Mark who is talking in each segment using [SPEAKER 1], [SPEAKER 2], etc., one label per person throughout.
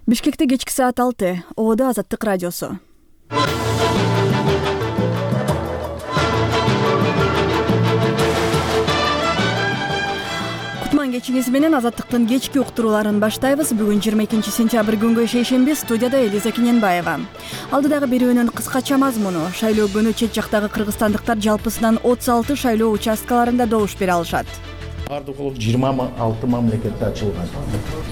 [SPEAKER 1] Бишкекте кечки саат 6. Ободо Азаттык радиосу. Кутман кечиңиз менен Азаттыктын кечки уктурууларын баштайбыз. Бүгүн 22 сентябрь күнгө шейшемби. Студияда Элиза Киненбаева. Алдыдагы берүүнүн кыскача мазмуну: шайлоо күнү чет жактагы кыргызстандыктар жалпысынан 36 шайлоо участкаларында добуш бере алышат.
[SPEAKER 2] Бардыгы 26 мамлекетте ачылган.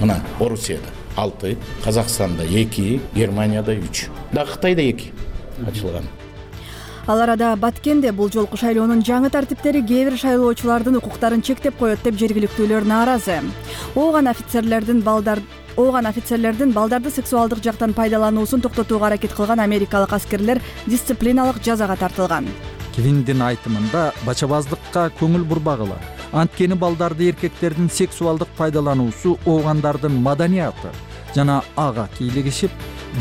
[SPEAKER 2] Мына Орусияда 6, Казакстанда 2, Германияда 3, да Кытайда 2 ачылган.
[SPEAKER 1] Ал арада Баткенде бул жолку шайлоонун жаңы тартиптери кээ бир шайлоочулардын укуктарын чектеп коет деп жергиликтүүлөр нааразы. Ооган офицерлердин балдарды сексуалдык жактан пайдалануусун токтотууга аракет кылган америкалык аскерлер дисциплиналык жазага тартылган.
[SPEAKER 3] Квиндин айтымында бачабаздыкка көңүл бурбагыла. Анткени балдарды эркектердин сексуалдык пайдалануусу оогандардын маданияты жана ага кийлигишип,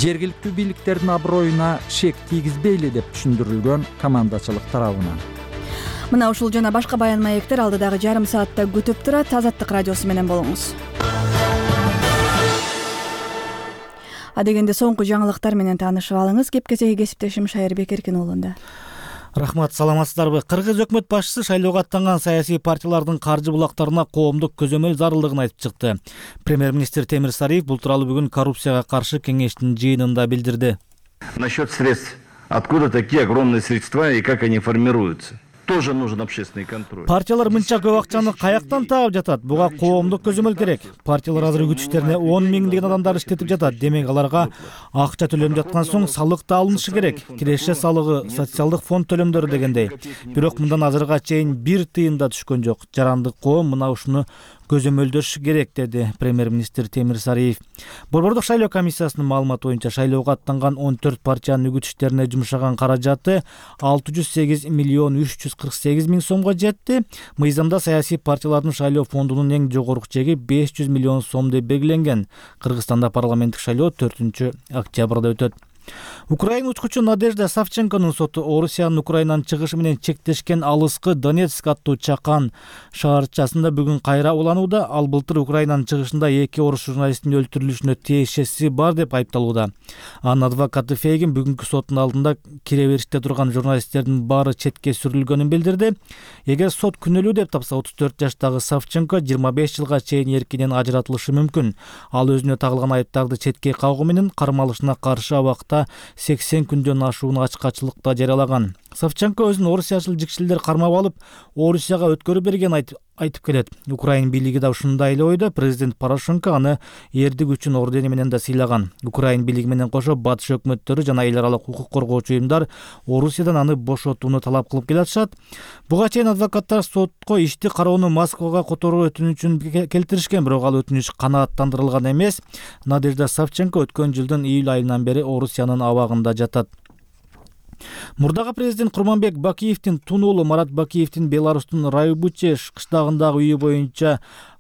[SPEAKER 3] жергиликтүү бийликтердин аброюна шек тийгизбейли деп түшүндүрүлгөн командачылык тарабынан.
[SPEAKER 1] Мына ушул жана башка баян маектер алдыдагы жарым саатта күтүп турат. Азаттык радиосу менен болуңуз. Адегенде соңку жаңылыктар менен таанышып алыңыз. Кепкесеги кесиптешим Шайырбек Эркин уулунда.
[SPEAKER 4] Рахмат, саламатсыздарбы? Кыргыз өкмөт башчысы шайлоого аттанган саясий партиялардын каржы булактарына коомдук көзөмөл зарылдыгын айтып чыкты. Премьер-министр Темир Сариев бул тууралуу бүгүн коррупцияга каршы кеңештин жыйынында билдирди.
[SPEAKER 5] Насчет средств. Откуда такие огромные средства и как они формируются? Тоже нужен общественный контроль.
[SPEAKER 4] Партиялар мынча көп акчаны каяктан таап жатат? Буга коомдук көзөмөл керек. Партиялар азыр күчтерине 10 миңдеген адамдар иштетип жатат. Демек аларга акча төлөнүп жаткан соң салык да алынышы керек. Киреше салыгы, социалдык фонд төлөмдөрү дегендей. Бирок мындан азырга чейин бир тыйын да түшкөн жок. Жарандык коом мына ушуну көзөмөлдөш керек, деди премьер-министр Темир Сариев. Борбордук шайлоо комиссиясынын маалыматы боюнча шайлоого аттанган 14 партиянын үгүтчтерине жумшаган каражаты 608 миллион 348 миң сомго жетти. Мыйзамда саясий партиялардын шайлоо фондунун эң жогорку чеги 500 миллион сом деп белгиленген. Кыргызстанда парламенттик шайлоо 4 октябрда өтөт. Украина учкучу Надежда Савченконун соту Орусиянын Украинанын чыгышы менен чектешкен алыскы Донецк аттуу чакан шаарчасында бүгүн кайра уланууда. Ал былтыр Украинанын чыгышында 2 орус журналисттин өлтүрүлүшүнө тиешеси бар деп айыпталууда. Анын адвокаты Фейгин бүгүнкү соттун алдында кире бериште турган журналисттердин баары четке сүрүлгөнүн билдирди. Эгер сот күнөөлүү деп тапса, 34 жаштагы Савченко 25 жылга чейин эркинен ажыратылышы мүмкүн. Ал өзүнө тагылган айыптарды четке кагуу менен кармалышына каршы абакта 80 күндөн ашууну ачкачылыкта жарыялаган. Савченко өзүн орусиячыл жикшилдер кармап алып, Орусияга өткөрүп берген айтып келет. Украин бийлиги да ушундай эле ойдо. Президент Порошенко аны эрдик үчүн ордени менен да сыйлаган. Украин бийлиги менен кошо батыш өкмөттөрү жана эл аралык укук коргоочу уюмдар Орусиядан аны бошотууну талап кылып келатышат. Буга чейин адвокаттар сотко ишти кароону Москвага которуу өтүнүчүн келтиришкен, бирок ал өтүнүч канааттандырылган эмес. Надежда Савченко өткөн жылдын июль айынан бери Орусиянын абагында жатат. Мурдагы президент Курманбек Бакиевдин тун уулу Марат Бакиевдин Беларустун Райбучеш кыштагындагы үйү боюнча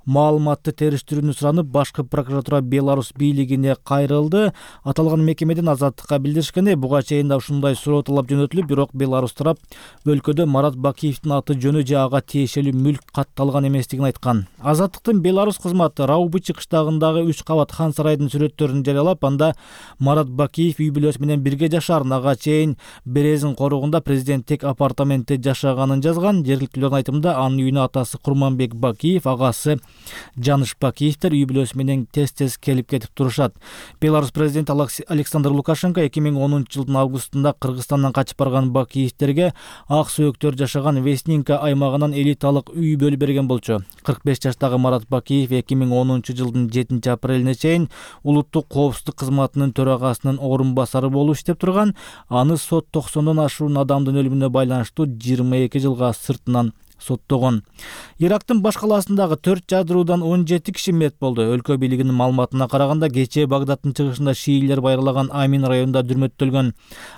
[SPEAKER 4] маалыматты териштирүүнү суранып, башкы прокуратура Беларус бийлигине кайрылды. Аталган мекемеден Азаттыкка билдиришкенде, буга чейин да ушундай суроо талап жөнөтүлүп, бирок Беларус тарап өлкөдө Марат Бакиевдин аты жөнү же ага тиешелүү мүлк катталган эместигин айткан. Азаттыктын Беларус кызматы Раубучи кыштагындагы 3 кабат хан сарайдын сүрөттөрүн жарыялап, анда Марат Бакиев үй бүлөсү менен бирге жашаарын, ага чейин Березин коругунда президенттик апартаментте жашаганын жазган. Жергиликтүүлөрдүн айтымында, анын үйүнө атасы Курманбек Бакиев, агасы Жаныш Бакиевдер үй бүлөсү менен тез келип кетип турушат. Беларус президенти Александр Лукашенко 2010 жылдын августунда Кыргызстандан качып барган Бакиевдерге ак сөөктөр жашаган Вестнинка аймагынан элиталык үй бөлүп берген болчу. 45 жаштагы Марат Бакиев 2010 жылдын 7 апрелине чейин улуттук коопсуздук кызматынын төрагасынын орун басары болуп иштеп турган. Аны сот 90дон ашуун адамдын өлүмүнө байланыштуу 22 жылга сыртынан соттогон. Ирактын баш калаасындагы 4 жадыруудан 17 киши мерт болду. Өлкө бийлигинин маалыматына караганда, кечээ Багдадтын чыгышында шиилер байырлаган Амин районунда дүрмөттөлгөн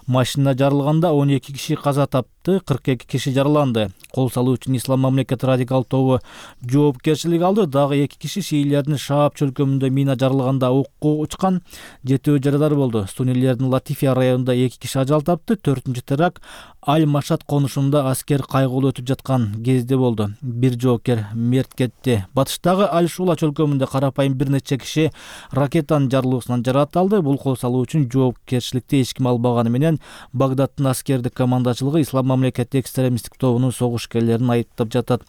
[SPEAKER 4] машина жарылганда 12 киши каза жатты, 42 киши жараланды. Кол салуу үчүн Ислам мамлекети радикал тобу жоопкерчилик алды. Дагы 2 киши шиилердин Шаап чөлкөмүндө мина жарылганда окко учкан, 7 жарадар болду. Сунилердин Латифия районунда 2 киши ажал тапты. 4-үнчү теракт Аль-Машат конушунда аскер кайгылуу өтүп жаткан кезде болду. 1 жоокер мерт кетти. Батыштагы Аль-Шула чөлкөмүндө карапайым бир нече киши ракетанын жарылуусунан жаракат алды. Бул кол салуу үчүн жоопкерчиликти эч ким албаганы менен Багдадтын аскердик командачылыгы Ислам мамлекети экстремисттик тобунун согушкерлерин айыптап жатат.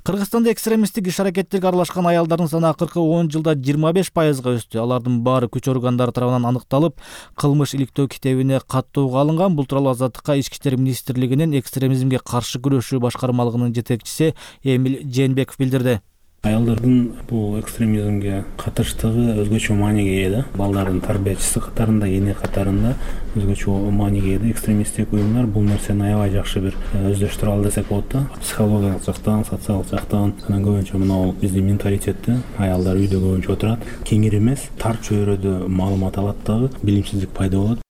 [SPEAKER 4] Кыргызстанда экстремисттик иш-аракеттерге аралашкан аялдардын саны акыркы 10 жылда 25%га өстү. Алардын баары күч органдары тарабынан аныкталып, кылмыш иликтөө китебине каттоого алынган. Бул тууралуу Азаттыкка Ички иштер министрлигинин экстремизмге каршы күрөшүү башкармалыгынын жетекчиси Эмил Жээнбеков билдирди.
[SPEAKER 6] Аялдардын бул экстремизмге катыштыгы өзгөчө мааниге ээ да. Балдардын тарбиячысы катарында, эне катарында өзгөчө мааниге ээ. Экстремисттик уюмдар бул нерсени аябай жакшы бир өздөштүрө алды десек болот да. Психологиялык жактан, социалдык жактан, анан көбүнчө мына биздин менталитетте аялдар үйдө көбүнчө отурат, кеңир эмес, тар чөйрөдө маалымат алат дагы, билимсиздик пайда болот.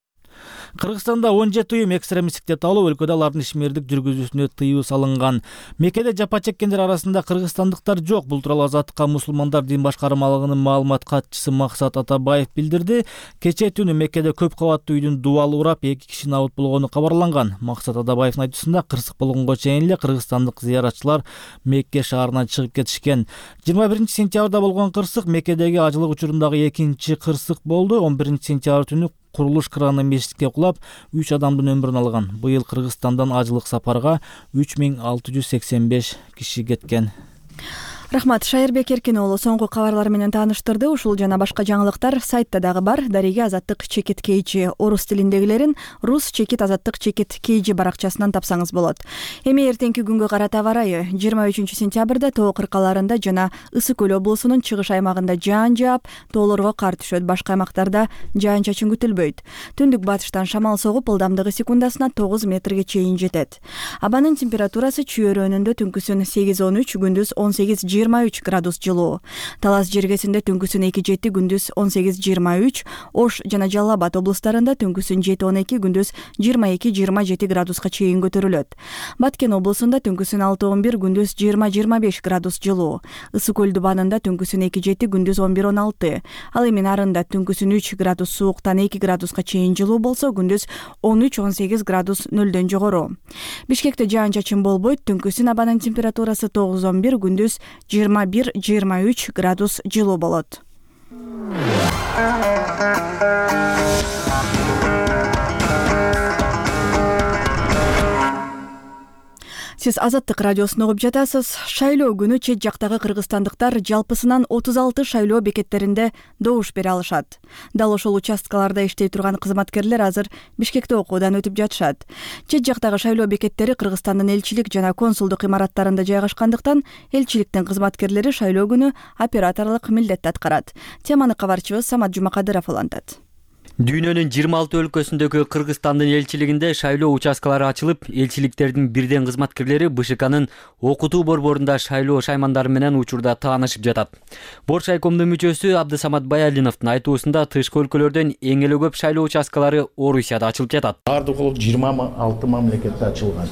[SPEAKER 4] Кыргызстанда 17 уюм экстремисттик деп табылып, өлкөдө алардын ишмердик жүргүзүүсүнө тыюу салынган. Меккеде жапа чеккендер арасында кыргызстандыктар жок. Бул тууралуу Азаттыкка мусулмандар дин башкармалыгынын маалымат катчысы Максат Атабаев билдирди. Кечээ түнү Меккеде көп кабаттуу үйдүн дубалы урап, 2 киши абут болгону кабарланган. Максат Атабаевдин айтуусунда, кырсык болгонго чейин эле кыргызстандык зыяратчылар Мекке шаарынан чыгып кетишкен. 21-сентябрда болгон кырсык Меккедеги ажылык учурундагы экинчи кырсык болду. 11-сентябрь түнү курулуш краны мешитке кулап, 3 адамдын өмүрүн алган. Быйыл Кыргызстандан ажылык сапарга 3685 киши кеткен.
[SPEAKER 1] Рахмат, Шайырбек Эркин уулу соңку кабарлар менен тааныштырды. Ушул жана башка жаңылыктар сайтта дагы бар. Дариге Азаттык чекит KG орус тилиндегилерин рус чекит Азаттык чекит KG баракчасынан тапсаңыз болот. Эми эртеңки күнгө карата аба ырайы. 23-сентябрда тоо кыркаларында жана Ысык Көл облусунун чыгыш аймагында жаан жаап, тоолорго кар түшөт. Башка аймактарда жаан чачын күтүлбөйт. Түндүк батыштан шамал согуп, ылдамдыгы секундасына 9 метрге чейин жетет. Абанын температурасы чүйөрөнүндө түнкүсүн 8-13, күндүз 18-23 градус жылуу. Талас жергесинде түнкүсүн 2-7, күндүз 18-23, Ош жана Жалал Абад облустарында түнкүсүн 7-12, күндүз 22-27 градуска чейин көтөрүлөт. Баткен облусунда түнкүсүн 6-11, күндүз 20-25 градус жылуу. Ысык Көл дубанында түнкүсүн 2-7, күндүз 11-16. Ал эми нарында түнкүсүн 3 градус сууктан 2 градуска чейин жылуу болсо, күндүз 13-18 градус нөлдөн жогору. Бишкекте жаан чачын болбойт, түнкүсүн абанын температурасы 9-11, күндүз 21-23 градус жылуу болот. Сиз Азаттык радиосун угуп жатасыз. Шайлоо күнү чет жактагы кыргызстандыктар жалпысынан 36 шайлоо бекеттеринде добуш бере алышат. Дал ошол участкаларда иштей турган кызматкерлер азыр Бишкекте окуудан өтүп жатышат. Чет жактагы шайлоо бекеттери Кыргызстандын элчилик жана консулдук имараттарында жайгашкандыктан элчиликтин кызматкерлери шайлоо күнү операторлук милдетти аткарат. Теманы кабарчыбыз Самат Жумакадыров улантат.
[SPEAKER 7] Дүйнөнүн 26 өлкөсүндөгү Кыргызстандын элчилигинде шайлоо участкалары ачылып, элчиликтердин бирден кызматкерлери БШКнын окутуу борборунда шайлоо шаймандары менен учурда таанышып жатат. Боршайкомдун мүчөсү Абдысамат Баялиновдун айтуусунда тышкы өлкөлөрдөн эң эле көп шайлоо участкалары Орусияда ачылып жатат.
[SPEAKER 2] Бардыгы 26 мамлекетте ачылган.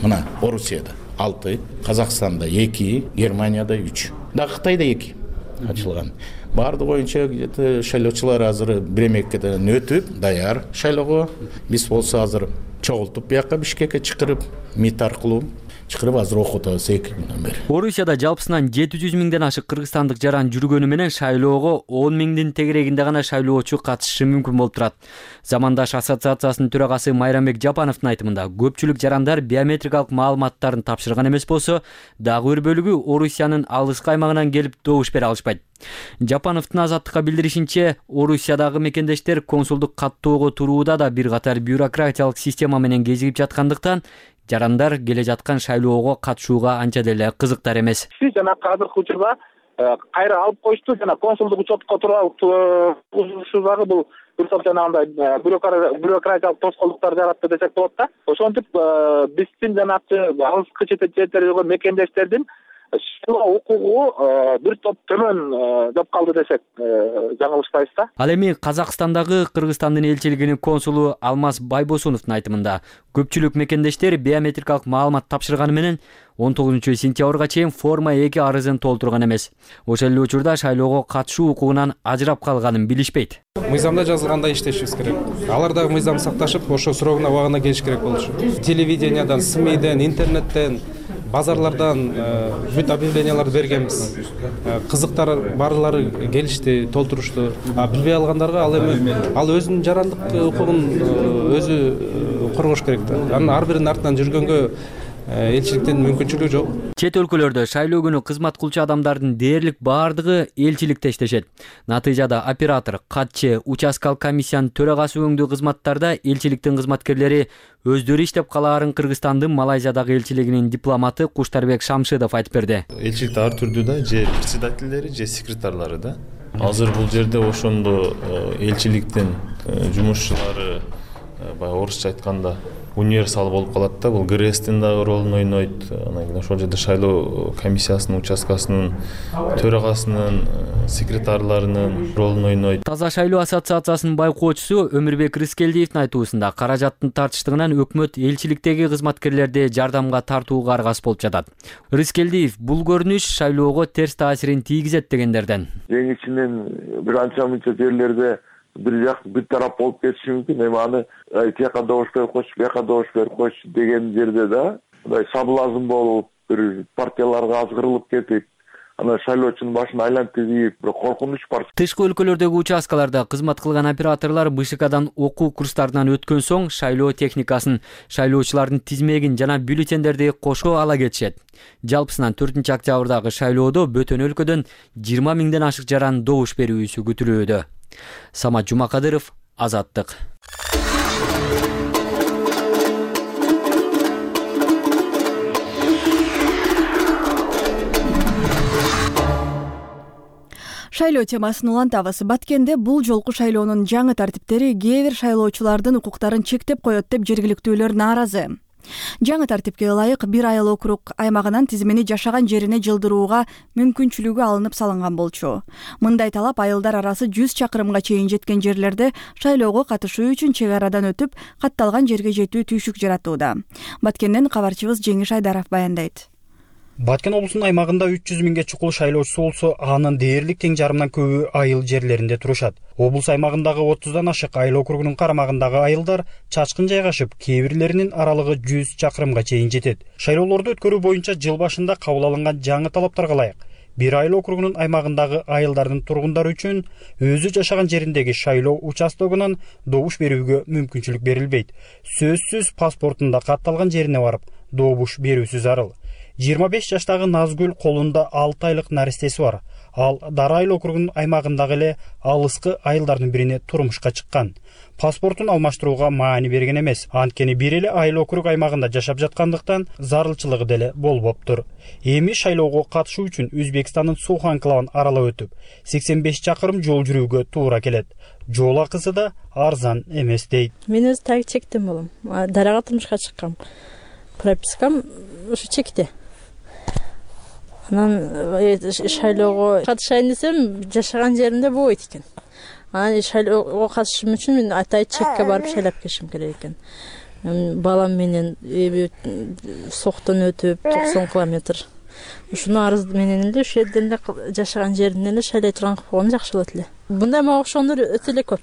[SPEAKER 2] Мына Орусияда 6, Казакстанда 2, Германияда 3, да Кытайда 2 ачылган. Барды боюнча шайлоочулар азыр бир меккеден өтүп, даяр шайлоого. Биз болсо азыр чогултуп бияка Бишкекке чакырып, МИТ аркылуу чакырып азыр окутабыз 2 күндөн бери.
[SPEAKER 7] Орусияда жалпысынан 700 миңден ашык кыргызстандык жаран жүргөнү менен шайлоого 10 миңдин тегерегинде гана шайлоочу катышышы мүмкүн болуп турат. Замандаш ассоциациясынын төрагасы Майрамбек Жапановдун айтымында, көпчүлүк жарандар биометрикалык маалыматтарын тапшырган эмес болсо, дагы бир бөлүгү Орусиянын алыскы аймагынан келип добуш бере алышпайт. Жапановдун Азаттыкка билдиришинче, Орусиядагы мекендештер консулдук каттоого турууда да бир катар бюрократиялык система менен кезигип жаткандыктан, жарандар келе жаткан шайлоого катышууга анча деле кызыктар эмес.
[SPEAKER 8] Жана азыркы учурда кайра алып коюшту, жана консулдук учетко турушуу дагы бул бир топ жанагындай бюрократиялык тоскоолдуктар жаратты десек болот да. Ошентип биздин жанагы алыскы четтердеги мекендештердин шайлоо укугу бир топ төмөн деп калды десек жаңылышпайбыз да.
[SPEAKER 7] Ал эми Казакстандагы Кыргызстандын элчилигинин консулу Алмаз Байбосуновдун айтымында көпчүлүк мекендештер биометрикалык маалымат тапшырганы менен 19 сентябрга чейин форма 2 арызын толтурган эмес. Ошол эле учурда шайлоого катышуу укугунан ажырап калганын билишпейт.
[SPEAKER 9] Мыйзамда жазылгандай иштешибиз керек. Алар дагы мыйзам сакташып, ошо срогуна убагында келиш керек болчу. Телевидениядан, СМИден, интернеттен, базарлардан бүт объявленияларды бергенбиз. Кызыктар барлары келишти, толтурушту. Билбей алгандарга ал өзүнүн жарандык укугун өзү коргош керек да. Анын ар биринин артынан жүргөнгө элчиликтин мүмкүнчүлүгү жок.
[SPEAKER 7] Чет өлкөлөрдө шайлоо күнү кызмат кылчу адамдардын дээрлик баардыгы элчиликте иштешет. Натыйжада оператор, катчы, участкалык комиссиянын төрагасы өңдүү кызматтарда элчиликтин кызматкерлери өздөрү иштеп калаарын Кыргызстандын Малайзиядагы элчилигинин дипломаты Куштарбек Шамшидов айтып берди.
[SPEAKER 10] Элчиликте ар түрдүү да, же председательдери, же секретарлары да. Азыр бул жерде ошондо элчиликтин жумушчулары баягы орусча айтканда универсал болуп калат да. Бул ГРСтин дагы ролун ойнойт. Анан кийин ошол жерде шайлоо комиссиясынын участкасынын төрагасынын, секретарларынын ролун ойнойт.
[SPEAKER 7] Таза шайлоо ассоциациясынын байкоочусу Өмүрбек Рыскелдиевдин айтуусунда каражаттын тартыштыгынан өкмөт элчиликтеги кызматкерлерди жардамга тартууга аргасыз болуп жатат. Рыскелдиев бул көрүнүш шайлоого терс таасирин тийгизет дегендерден.
[SPEAKER 11] Эң ичинен бир анча-мынча жерлерде бир тарап болуп кетиши мүмкүн. Эми аны тияка добуш берип койчу, бияка добуш берип койчу деген жерде да мындай соблазн болуп, бир партияларга азгырылып кетип, анан шайлоочунун башын айлантып ийип, бир коркунуч бар.
[SPEAKER 7] Тышкы өлкөлөрдөгү участкаларда кызмат кылган операторлор БШКдан окуу курстарынан өткөн соң шайлоо техникасын, шайлоочулардын тизмегин жана бюллетендерди кошо ала кетишет. Жалпысынан 4-октябрдагы шайлоодо бөтөн өлкөдөн 20 миңден ашык жаран добуш берүүсү күтүлүүдө. Самат Жумакадыров, Азаттык.
[SPEAKER 1] Шайлоо темасын улантабыз. Баткенде бул жолку шайлоонун жаңы тартиптери кээ бир шайлоочулардын укуктарын чектеп коет деп жергиликтүүлөр нааразы. Жаңы тартипке ылайык бир айыл округ аймагынан тизмени жашаган жерине жылдырууга мүмкүнчүлүгү алынып салынган болчу. Мындай талап айылдар арасы 100 чакырымга чейин жеткен жерлерде шайлоого катышуу үчүн чек арадан өтүп, катталган жерге жетүү түйшүк жаратууда. Баткенден кабарчыбыз Жеңиш Айдаров баяндайт.
[SPEAKER 12] Баткен облусунун аймагында 300 миңге чукул шайлоочусу болсо, анын дээрлик тең жарымдан көбү айыл жерлеринде турушат. Облус аймагындагы 30дан ашык айыл округунун карамагындагы айылдар чачкын жайгашып, кээ бирлеринин аралыгы 100 чакырымга чейин жетет. Шайлоолорду өткөрүү боюнча жыл башында кабыл алынган жаңы талаптарга ылайык бир айыл округунун аймагындагы айылдардын тургундары үчүн өзү жашаган жериндеги шайлоо участогунан добуш берүүгө мүмкүнчүлүк берилбейт. Сөзсүз паспортунда катталган жерине барып добуш берүүсү зарыл. 25 жаштагы Назгүл колунда 6 айлык наристеси бар. Ал Дара айыл округунун аймагындагы эле алыскы айылдардын бирине турмушка чыккан. Паспортун алмаштырууга маани берген эмес. Анткени бир эле айыл округ аймагында жашап жаткандыктан зарылчылыгы деле болбоптур. Эми шайлоого катышуу үчүн Өзбекстандын Сух анклавын аралап өтүп, 85 чакырым жол жүрүүгө туура келет. Жол акысы да арзан эмес дейт.
[SPEAKER 13] Мен өз так чектен болом. Дарага турмушка чыккам. Пропискам ушу чекте. Анан шайлоого катышайын десем, жашаган жеримде болбойт экен. Анан шайлоого катышышым үчүн мен атайын чекке барып шайлап келишим керек экен. Балам менен Соктон өтүп 90 километр. Ушуну арыз менен эле ошол жерден эле жашаган жеринен эле шайлай турган кылып койгон жакшы болот эле. Мындай мага окшогондор өтө эле көп.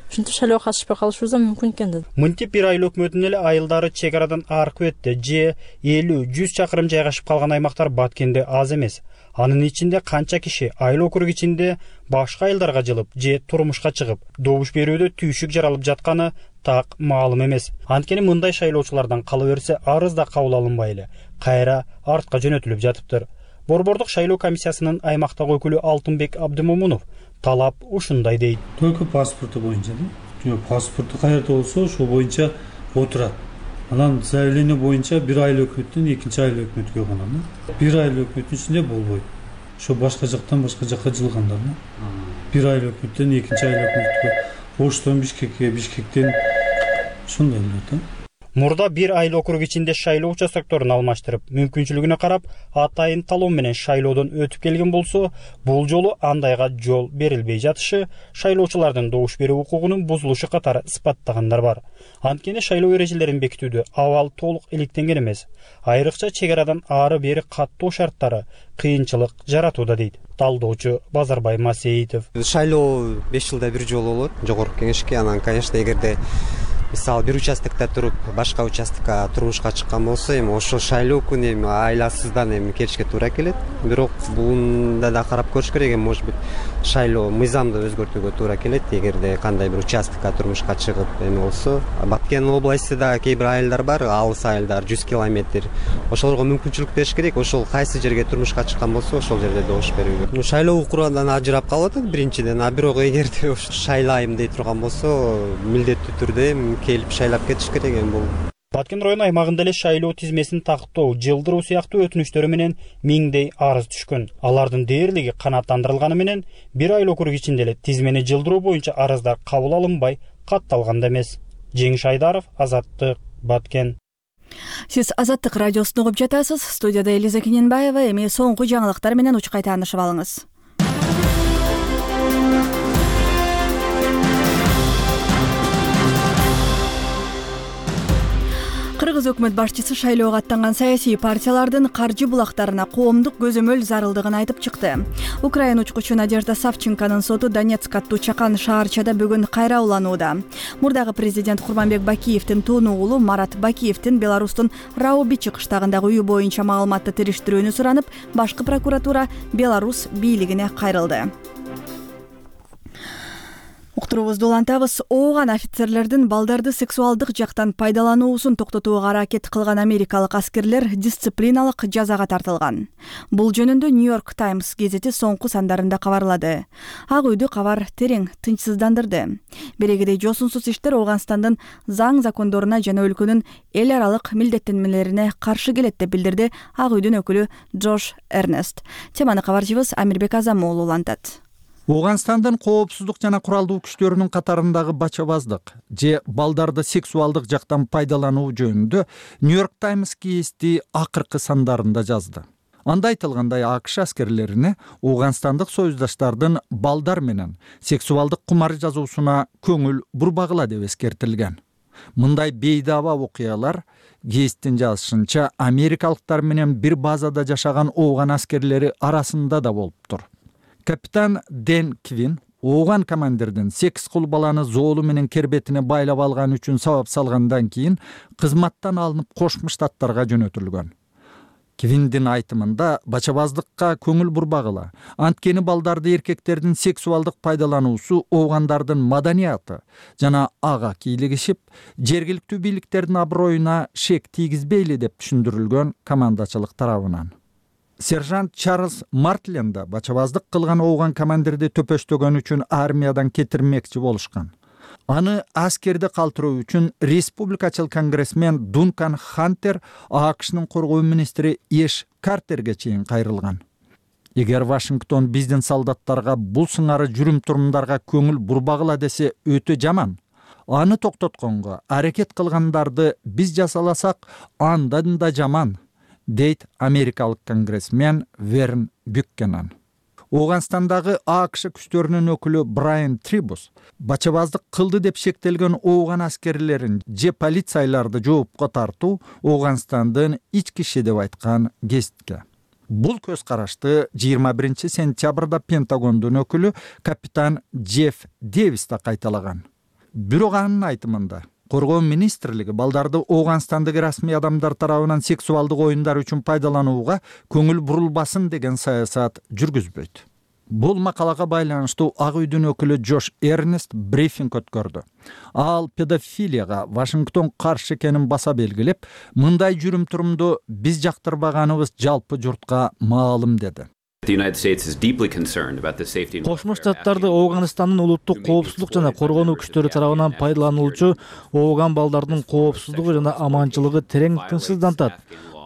[SPEAKER 13] Ушинтип шайлоого катышпай калышыбыз да мүмкүн экен да.
[SPEAKER 12] Мынтип бир айыл өкмөтүнүн эле айылдары чек арадан аркы өттү. Же 50-100 чакырым жайгашып калган аймактар Баткенде аз эмес. Анын ичинде канча киши айыл округ ичинде башка айылдарга жылып, же турмушка чыгып, добуш берүүдө түйшүк жаралып жатканы так маалым эмес. Анткени мындай шайлоочулардан кала берсе, арыз да кабыл алынбай эле кайра артка жөнөтүлүп жатыптыр. Борбордук шайлоо комиссиясынын аймактагы өкүлү Алтынбек Абдымомунов талап ушундай дейт.
[SPEAKER 14] Только паспорту боюнча да. Паспорту каерде болсо, ошол боюнча отурат. Анан заявление боюнча бир айыл өкмөттөн экинчи айыл өкмөткө конот. Бир айыл өкмөттүн ичинде болбойт. Ошо башка жактан башка жакка жылгандар. Бир айыл өкмөттөн экинчи айыл өкмөткө, Оштон Бишкекке, Бишкектен ушундай эле да.
[SPEAKER 12] Мурда бир айыл округ ичинде шайлоо участокторун алмаштырып, мүмкүнчүлүгүнө карап, атайын талоо менен шайлоодон өтүп келген болсо, бул жолу андайга жол берилбей жатышы шайлоочулардын добуш берүү укугунун бузулушу катары ыспаттагандар бар. Анткени шайлоо эрежелерин бекитүүдө абал толук иликтенген эмес. Айрыкча чек арадан ары бери каттоо шарттары кыйынчылык жаратууда дейт талдоочу Базарбай Масеитов.
[SPEAKER 15] Шайлоо 5 жылда бир жолу болот, жогорку кеңешке. Анан, конечно, эгерде мисалы бир участокто туруп, башка участокко турмушка чыккан болсо, эми ошол шайлоо күнү эми айласыздан эми келишке туура келет. Бирок буунда да карап көрүш керек, эми может быть шайлоо мыйзамды өзгөртүүгө туура келет. Эгерде кандай бир участокко турмушка чыгып эми болсо, Баткен областында кээ бир айылдар бар, алыс айылдар 100 километр. Ошолорго мүмкүнчүлүк бериш керек. Ошол кайсы жерге турмушка чыккан болсо, ошол жерде добуш берүүгө. Шайлоо укугунан ажырап калып атат биринчиден, а бирок эгерде шайлайм дей турган болсо, милдеттүү түрдө келип шайлап кетиш керек эми бул.
[SPEAKER 12] Баткен району аймагында эле шайлоо тизмесин тактоо, жылдыруу сыяктуу өтүнүчтөрү менен миңдей арыз түшкөн. Алардын дээрлиги канааттандырылганы менен бир айыл округ ичинде эле тизмени жылдыруу боюнча арыздар кабыл алынбай катталган да эмес. Жеңиш Айдаров, Азаттык, Баткен.
[SPEAKER 1] Сиз Азаттык радиосун угуп жатасыз. Студияда Элиза Кененбаева. Эми соңку жаңылыктар менен учкай таанышып алыңыз. Кыргыз өкмөт башчысы шайлоого аттанган саясий партиялардын каржы булактарына коомдук көзөмөл зарылдыгын айтып чыкты. Украина учкучу Надежда Савченконун соту Донецк аттуу чакан шаарчада бүгүн кайра уланууда. Мурдагы президент Курманбек Бакиевдин тууну уулу Марат Бакиевдин Беларустун Раубичи кыштагындагы үйү боюнча маалыматты териштирүүнү суранып, башкы прокуратура Беларус бийлигине кайрылды. Уктуруубузду улантабыз. Ооган офицерлердин балдарды сексуалдык жактан пайдалануусун токтотууга аракет кылган америкалык аскерлер дисциплиналык жазага тартылган. Бул жөнүндө Нью-Йорк Таймс гезити соңку сандарында кабарлады. Ак үйдү кабар терең тынчсыздандырды. Берегидей жосунсуз иштер Ооганстандын заң закондоруна жана өлкөнүн эл аралык милдеттенмелерине каршы келет деп билдирди Ак үйдүн өкүлү Джош Эрнест. Теманы кабарчыбыз Амирбек Азамоğlu улантат.
[SPEAKER 3] Ооганстандын коопсуздук жана куралдуу күчтөрүнүн катарындагы бачабаздык же балдарды сексуалдык жактан пайдалануу жөнүндө Нью-Йорк Таймс гезити акыркы сандарында жазды. Анда айтылгандай, АКШ аскерлерине ооганстандык союздаштардын балдар менен сексуалдык кумар жазуусуна көңүл бурбагыла деп эскертилген. Мындай бейдаба окуялар гезиттин жазышынча америкалыктар менен бир базада жашаган ооган аскерлери арасында да болуптур. Капитан Дэн Квин ооган командирдин 8 кул баланы зоолу менен кербетине байлап алган үчүн сабап салгандан кийин кызматтан алынып Кошмо Штаттарга жөнөтүлгөн. Квиндин айтымында бачабаздыкка көңүл бурбагыла, анткени балдарды эркектердин сексуалдык пайдалануусу оогандардын маданияты жана ага кийлигишип, жергиликтүү бийликтердин аброюна шек тийгизбейли деп түшүндүрүлгөн командачылык тарабынан. Сержант Чарльз Мартлен да бачабаздык кылган ооган командирди төпөштөгөн үчүн армиядан кетирмекчи болушкан. Аны аскерди калтыруу үчүн республикачыл конгрессмен Дункан Хантер АКШнын коргоо министри Эш Картерге чейин кайрылган. Эгер Вашингтон биздин солдаттарга бул сыңары жүрүм-турумдарга көңүл бурбагыла десе өтө жаман. Аны токтотконго аракет кылгандарды биз жасаласак, андан да жаман, дейт америкалык конгрессмен Верн Бюккенен. Ооганстандагы АКШ күчтөрүнүн өкүлү Брайан Трибус бачабаздык кылды деп шектелген ооган аскерлерин же полицияларды жоопко тартуу Ооганстандын ички иши деп айткан гезитке. Бул көз карашты 21 сентябрда Пентагондун өкүлү капитан Джефф Дэвис да кайталаган. Бирок анын айтымында Коргоо министрлиги балдарды Ооганстандагы расмий адамдар тарабынан сексуалдык оюндар үчүн пайдаланууга көңүл бурулбасын деген саясат жүргүзбөйт. Бул макалага байланыштуу Ак үйдүн өкүлү Джош Эрнест брифинг өткөрдү. Ал педофилияга Вашингтон каршы экенин баса белгилеп, мындай жүрүм-турумду биз жактырбаганыбыз жалпы журтка маалым деди.
[SPEAKER 4] Кошмо Штаттарды Ооганстандын улуттук коопсуздук жана коргонуу күчтөрү тарабынан пайдаланылуучу ооган балдардын коопсуздугу жана аманчылыгы терең тынчсыздантат.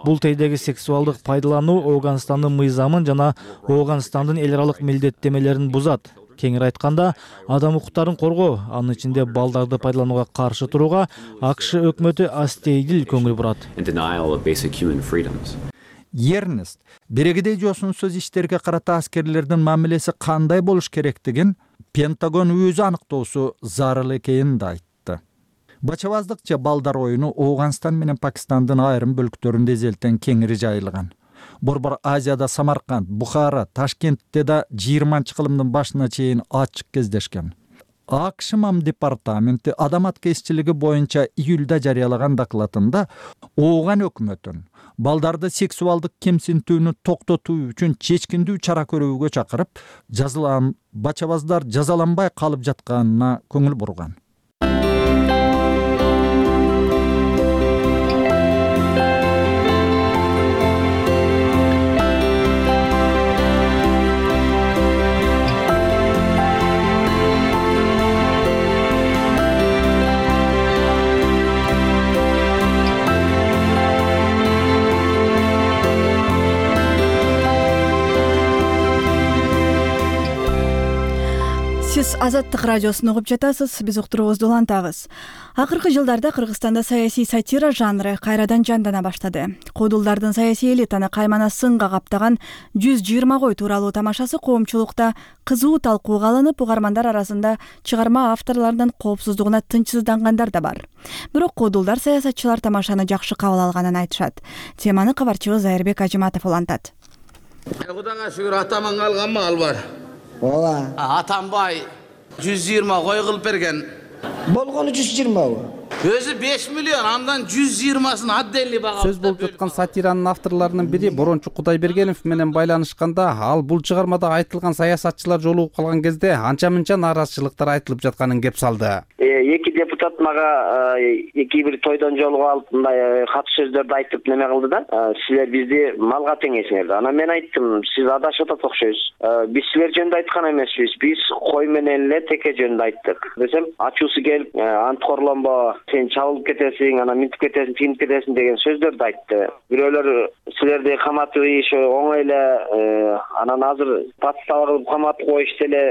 [SPEAKER 4] Бул тейдеги сексуалдык пайдалануу Ооганстандын мыйзамын жана Ооганстандын эл аралык милдеттемелерин бузат. Кеңири айтканда, адам укуктарын коргоо, анын ичинде балдарды пайдаланууга каршы турууга АКШ өкмөтү астейдил көңүл бурат.
[SPEAKER 3] Ернест берегидей жосунсуз иштерге карата аскерлердин мамилеси кандай болуш керектигин Пентагон өзү аныктоосу зарыл экенин да айтты. Бачабаздык же балдар оюну Ооганстан менен Пакистандын айрым бөлүктөрүндө эзелтен кеңири жайылган. Борбор Азияда Самарканд, Бухара, Ташкентте да 20-кылымдын башына чейин ачык кездешкен. АКШ МАМ департаменти адам аткезчилиги боюнча июлда жарыялаган докладында Ооган өкмөтүн балдарды сексуалдык кемсинтүүнү токтотуу үчүн чечкиндүү чара көрүүгө чакырып, жазылган бачабаздар жазаланбай калып жатканына көңүл бурган.
[SPEAKER 1] Сиз Азаттык радиосун угуп жатасыз, биз уктуруубузду улантабыз. Акыркы жылдарда Кыргызстанда саясий сатира жанры кайрадан жандана баштады. Куудулдардын саясий элитаны каймана сынга каптаган 120 кой тууралуу тамашасы коомчулукта кызуу талкууга алынып, угармандар арасында чыгарма авторлорунун коопсуздугуна тынчсыздангандар да бар. Бирок куудулдар саясатчылар тамашаны жакшы кабыл алганын айтышат. Теманы кабарчыбыз Айырбек Ажыматов улантат.
[SPEAKER 16] Кудайга шүгүр атаман алган мал бар.
[SPEAKER 17] Ооба.
[SPEAKER 16] Атамбай 120 кой кылып берген.
[SPEAKER 17] Болгону 120.
[SPEAKER 16] Өзү 5 миллион, андан 120сын отдельный бага.
[SPEAKER 18] Сөз болуп жаткан сатиранын авторлорунун бири Борончу Кудайбергенов менен байланышканда, ал бул чыгармада айтылган саясатчылар жолугуп калган кезде анча-мынча нааразычылыктар айтылып жатканын кеп салды.
[SPEAKER 19] Эки депутат мага эки бир тойдон жолугуп алып мындай кат сөздөрдү айтып неме кылды да. Силер бизди малга теңейсиңер. Анан мен айттым, сиз адашып атат окшойсуз. Биз силер жөнүндө айткан эмеспиз. Биз кой менен эле теке жөнүндө айттык. Десем, ачуусу келип, анткорлонбо, сен чабылып кетесиң, анан минтип кетесиң, тигинип кетесиң деген сөздөрдү айтты. Бирөөлөр силерди каматып ийиш оңой эле, анан азыр подстава кылып каматып коюш эле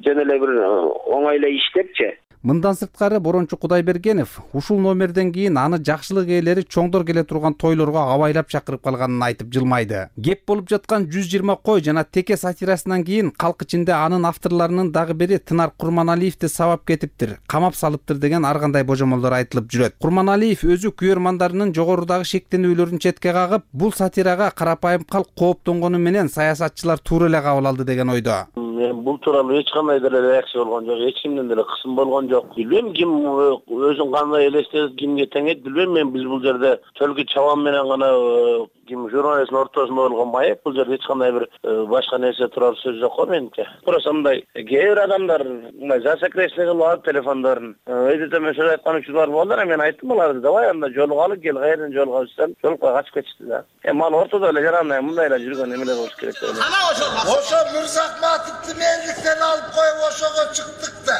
[SPEAKER 19] жөн эле бир оңой эле иш депчи.
[SPEAKER 18] Мындан сырткары Борончу Кудайбергенов ушул номерден кийин аны жакшылык ээлери чоңдор келе турган тойлорго абайлап чакырып калганын айтып жылмайды. Кеп болуп жаткан 120 кой жана теке сатирасынан кийин калк ичинде анын авторлорунун дагы бири Тынар Курманалиевди сабап кетиптир, камап салыптыр деген ар кандай божомолдор айтылып жүрөт. Курманалиев өзү күйөрмандарынын жогорудагы шектенүүлөрүн четке кагып, бул сатирага карапайым калк кооптонгону менен саясатчылар туура эле кабыл алды деген ойдо.
[SPEAKER 20] Мен бул тууралуу эч кандай деле реакция болгон жок, эч кимден деле кысым болгон жок. Билбейм ким өзүн кандай элестетип кимге теңейт, билбейм. Мен биз бул жерде төлкү чабан менен гана ким журналисттин ортосунда болгон маек, бул жерде эч кандай бир башка нерсе турар сөз жок го менимче. Просто мындай кээ бир адамдар мындай засекречный кылып алып телефондорун өйдөтөмө сөз айткан учурлар болду. Мен айттым аларды, давай анда жолугалы, кел кайерден жолугабыз десем, жолукпай качып кетишти да. Мал ортодо эле жарандай мындай эле жүргөн эмелер болуш керек деп ойлойм.
[SPEAKER 21] Ошо Мырзахматовду мээликтен алып коюп ошого чыктык да.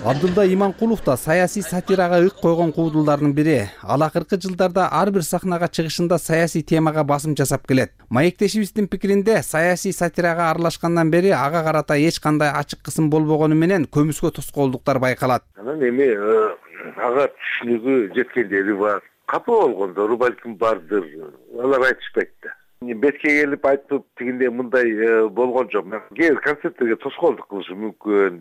[SPEAKER 18] Абдулда Иманкулов да саясий сатирага ык койгон куудулдардын бири. Ал акыркы жылдарда ар бир сахнага чыгышында саясий темага басым жасап келет. Маектешибиздин пикиринде саясий сатирага аралашкандан бери ага карата эч кандай ачык кысым болбогону менен көмүскө тоскоолдуктар байкалат.
[SPEAKER 21] Анан эми ага түшүнүгү жеткендери бар. Капа болгондору балким бардыр. Алар айтышпайт да. Бетке келип айтып тигинде мындай болгон жок. Кээ бир концерттерге тоскоолдук кылышы мүмкүн.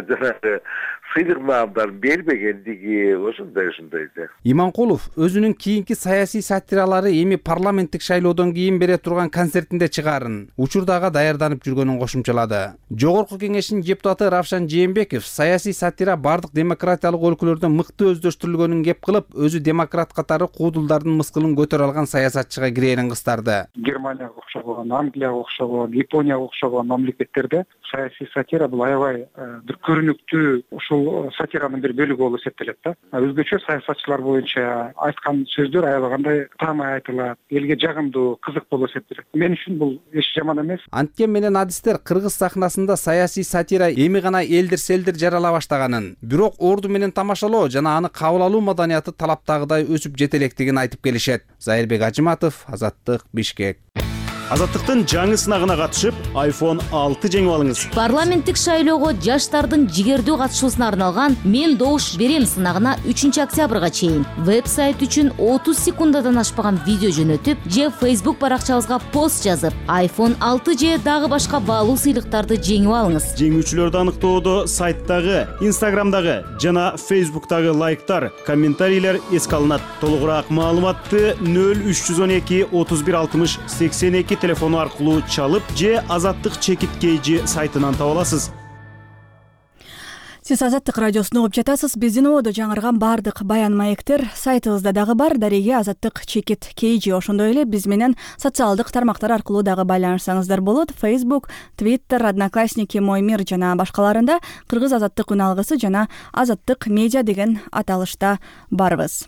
[SPEAKER 21] Жанагы сыйлык маамдарын бербегендиги ошондой да.
[SPEAKER 18] Иманкулов өзүнүн кийинки саясий сатиралары эми парламенттик шайлоодон кийин бере турган концертинде чыгаарын, учурдага даярданып жүргөнүн кошумчалады. Жогорку кеңештин депутаты Равшан Жээнбеков саясий сатира бардык демократиялык өлкөлөрдө мыкты өздөштүрүлгөнүн кеп кылып, өзү демократ катары куудулдардын мыскылын көтөрө алган саясатчыга кирээрин кыстарды.
[SPEAKER 22] Германияга окшогон, Англияга окшогон, Японияга окшогон мамлекеттерде саясий сатира бул аябай бир көрүнүктүү ушул сатиранын бир бөлүгү болуп эсептелет да. Өзгөчө саясатчылар боюнча айткан сөздөр аябай кандай таамай айтылат, элге жагымдуу, кызык болуп эсептелет. Мен үчүн бул эч жаман эмес.
[SPEAKER 18] Анткен менен адистер кыргыз сахнасында саясий сатира эми гана элдир-селдир жарала баштаганын, бирок орду менен тамашалоо жана аны кабыл алуу маданияты талаптагыдай өсүп жетелектигин айтып келишет. Айырбек Ажыматов, Азаттык, Бишкек.
[SPEAKER 5] Азаттыктын жаңы сынагына катышып, iPhone 6 жеңип алыңыз.
[SPEAKER 6] Парламенттик шайлоого жаштардын жигердүү катышуусуна арналган «Мен добуш берем» сынагына 3 октябрга чейин веб-сайт үчүн 30 секундадан ашпаган видео жөнөтүп, же Facebook баракчабызга пост жазып, iPhone 6 же дагы башка баалуу сыйлыктарды жеңип алыңыз.
[SPEAKER 5] Жеңүүчүлөрдү аныктоодо сайттагы, Instagramдагы жана Facebook'тагы лайктар, комментарийлер эске алынат. Толугураак маалыматты 0312 31 60 82 телефону аркылуу чалып же Азаттык чекит кейжи сайтынан таба аласыз.
[SPEAKER 1] Сиз Азаттык радиосун угуп жатасыз. Биздин ободо жаңырган бардык баян маектер сайтыбызда дагы бар. Дареге Азаттык чекит кейжи, ошондой эле биз менен социалдык тармактар аркылуу дагы байланышсаңыздар болот. Facebook, Twitter, Одноклассники, Мой мир жана башкаларында Кыргыз Азаттык үн алгысы жана Азаттык медиа деген аталышта барбыз.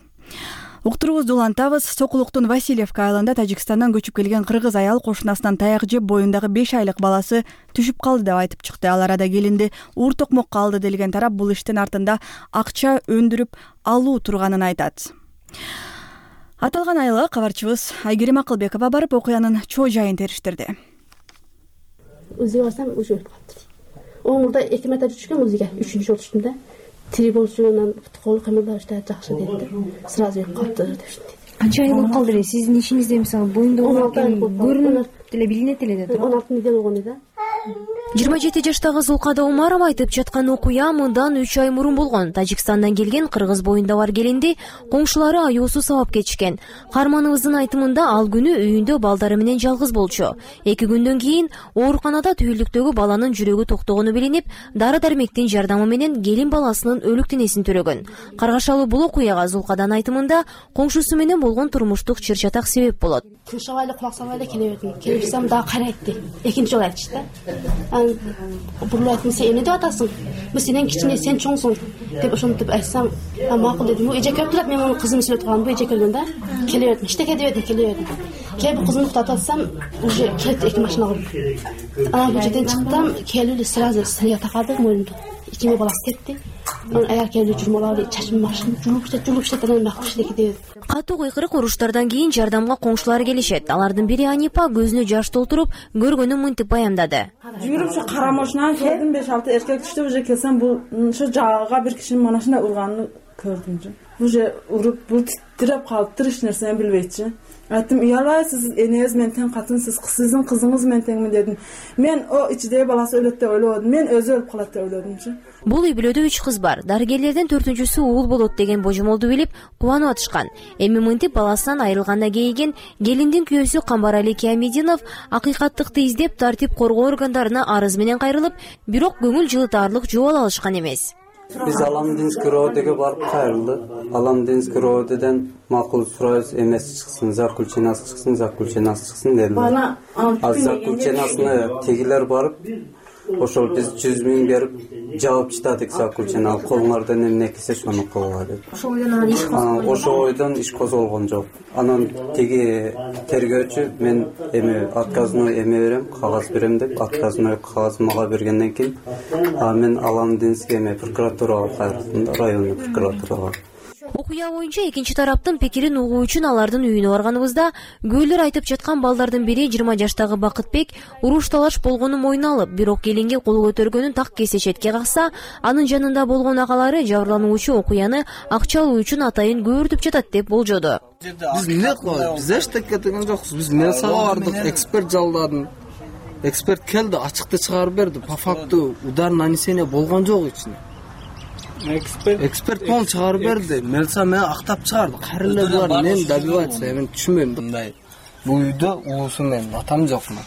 [SPEAKER 1] Уктуруубузду улантабыз. Сокулуктун Васильевка айылында Тажикстандан көчүп келген кыргыз аял кошунасынан таяк жеп боюндагы 5 айлык баласы түшүп калды деп айтып чыкты. Ал арада келинди уур токмокко алды делген тарап бул иштин артында акча өндүрүп алуу турганын айтат. Аталган айылга кабарчыбыз Айгерим Акылбекова барып окуянын чоо жайын териштирди.
[SPEAKER 23] Өзүгө барсам уже өлүп калыптыр. Оңурда 2 марта түшкөн, өзүгө 3-үнчү жолу түштүм да. Тири болчугунан кол кыймылдар иште жакшы деді. Сразу өлүп калыптыр деп түштүм.
[SPEAKER 24] Канча ай болуп калды эле сиздин ишиңизде, мисалы, боюнда көрүнүп деле билинет эле да.
[SPEAKER 23] 16 недел болгон да.
[SPEAKER 24] 27 жаштагы Зулкада Умарова айтып жаткан окуя мындан 3 ай мурун болгон. Тажикстандан келген кыргыз боюнда бар келинди коңшулары аюусу сабап кетишкен. Карманыбыздын айтымында ал күнү үйүндө балдары менен жалгыз болчу. 2 күндөн кийин ооруканада түйүлдүктөгү баланын жүрөгү токтогону билинип, дары-дармектин жардамы менен келин баласынын өлүк денесин төрөгөн. Каргашалуу бул окуяга Зулкадан айтымында коңшусу менен болгон турмуштук чыр-чатак себеп болот.
[SPEAKER 23] Кышабайлы кулак сабайлы келебедим. Келипсем дагы кайрайтты. Экинчи жолу айтышты да. Бурлуу айтым, сен эмне деп атасың? Бул сенен кичине, сен чоңсуң деп ошентип айтсам, макул дедим. Бул эже келип турат, мен мунун кызын сүйлөп тургам, бул эже келген да. Келебедим, иштеке дебедим, келебедим. Келип кызымды уктатып атсам, уже келип 2 машина кылып. Анан бул жерден чыктым, келип сразу сырга такады мойнумду. Ичиме баласы кетти. Аяр келип журмалап, чачымды машина жулуп иштеп анан макул иштеке дебедим.
[SPEAKER 24] Катуу кыйкырык уруштардан кийин жардамга коңшулар келишет. Алардын бири Анипа көзүнө жаш толтуруп, көргөнүн мынтип баяндады.
[SPEAKER 25] Жүрүп ушу кара машинаны көрдүм, 5-6 эркек түштү, уже келсем бул ушу жагага бир кишинин машина урганын көрдүм. Уже уруп, бул титиреп калыптыр, эч нерсени билбейчи. Айттым, уялбай, сиз энеңиз менен тең катынсыз, сиздин кызыңыз менен теңмин дедим. Мен о ичидеги баласы өлөт деп ойлободум, мен өзү өлүп калат деп ойлодумчу.
[SPEAKER 24] Бул үй бүлөдө 3 кыз бар. Дарыгерлерден 4-сү уул болот деген божомолду билип, кубанып атышкан. Эми мынтип баласынан айрылганда кейиген келиндин күйөөсү Камбарали Киямединов акыйкаттыкты издеп, тартип коргоо органдарына арыз менен кайрылып, бирок көңүл жылытаарлык жооп ала алышкан эмес.
[SPEAKER 26] Биз Аламдинский РОДГге барып кайрылдык. Аламдинский РОДден макул сурайбыз, эмес чыксын, заключенасы чыксын дедим. А заключенасыны тегилер барып, ошол биз 100 000 берип жаап чыдадык заключена. Колуңардан эмне келсе ошону кылгыла деп. Ошол ойдон иш козголгон жок. Анан теги тергөөчү мен эми отказной эме берем, кагаз берем деп, отказной кагаз мага бергенден кийин мен Аламдинский эме прокуратурага кайрылдым да, райондук прокуратурага.
[SPEAKER 24] Окуя боюнча экинчи тараптын пикирин угуу үчүн алардын үйүнө барганыбызда көөлөр айтып жаткан балдардын бири 20 жаштагы Бакытбек уруш талаш болгонун мойнуна алып, бирок келинге кол көтөргөнүн так кесе четке какса, анын жанында болгон агалары жабырлануучу окуяны акча алуу үчүн атайын көөртүп жатат деп болжоду.
[SPEAKER 27] Биз эмне кылабыз? Биз эчтеке деген жокпуз. Биз милицияга бардык, эксперт жалдадым. Эксперт келди, ачыкты чыгарып берди. По факту удар нанесение болгон жок ичинде. Эксперт пол чыгарып берди. Милиция мени актап чыгарды. Кайра эле булар эмнени добиваться, мен түшүнбөйм мындай. Бул үйдө уусум менин атам жок мен.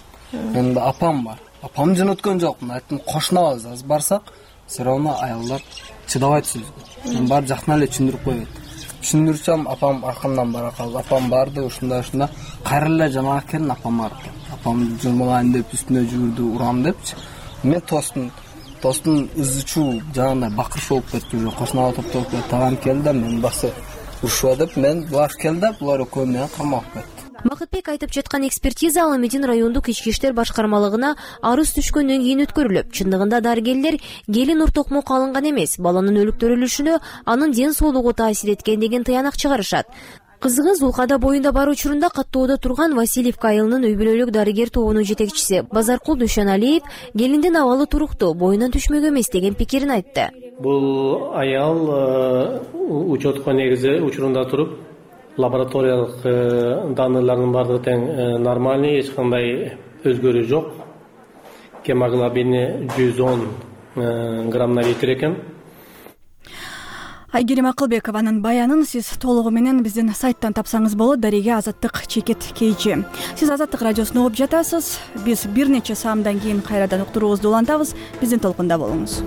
[SPEAKER 27] Менин апам бар. Апамды жөнөткөн жокмун. Айттым, кошунабыз, аз барсак, все равно аялдар чыдабайт сөзгө. Мен бар жактан эле түшүндүрүп койбойт. Түшүндүрсөм, апам аркамдан бара калды. Апам барды, ушундай кайра эле жанагы келин апам барып. Апам журмалайын деп үстүнө жүгүрдү, урам депчи. Мен тостун ызычуу жанагындай бакырыш болуп кетти, уже кошунага топтолуп кетти. Тагам келди, мен басы урушуа деп, мен булар келди, булар экөө менен камап кетти.
[SPEAKER 24] Бакытбек айтып жаткан экспертиза Аламедин райондук ички иштер башкармалыгына арыз түшкөндөн кийин өткөрүлүп, чындыгында дарыгерлер келин ур токмок алынган эмес, баланын өлүктөрүлүшүнө анын ден соолугу таасир эткен деген тыянак чыгарышат. Кызыгы Зулкада боюнда бар учурунда каттоодо турган Васильевка айылынын үй бүлөлүк дарыгер тобунун жетекчиси Базаркул Дүйшөналиев келиндин абалы туруктуу, боюнан түшмөк эмес деген пикирин айтты.
[SPEAKER 2] Бул аял учетко негизи учурунда туруп, лабораториялык данылардын баардыгы тең нормальный, эч кандай өзгөрүү жок. Гемоглобини 110 граммдан жетир экен.
[SPEAKER 1] Айгерим Акылбекованын баянын сиз толугу менен биздин сайттан тапсаңыз болот. Дареге Азаттык чекет KG. Сиз Азаттык радиосун угуп жатасыз. Биз бир нече саамдан кийин кайрадан уктуруубузду улантабыз. Биздин толкунда болуңуз.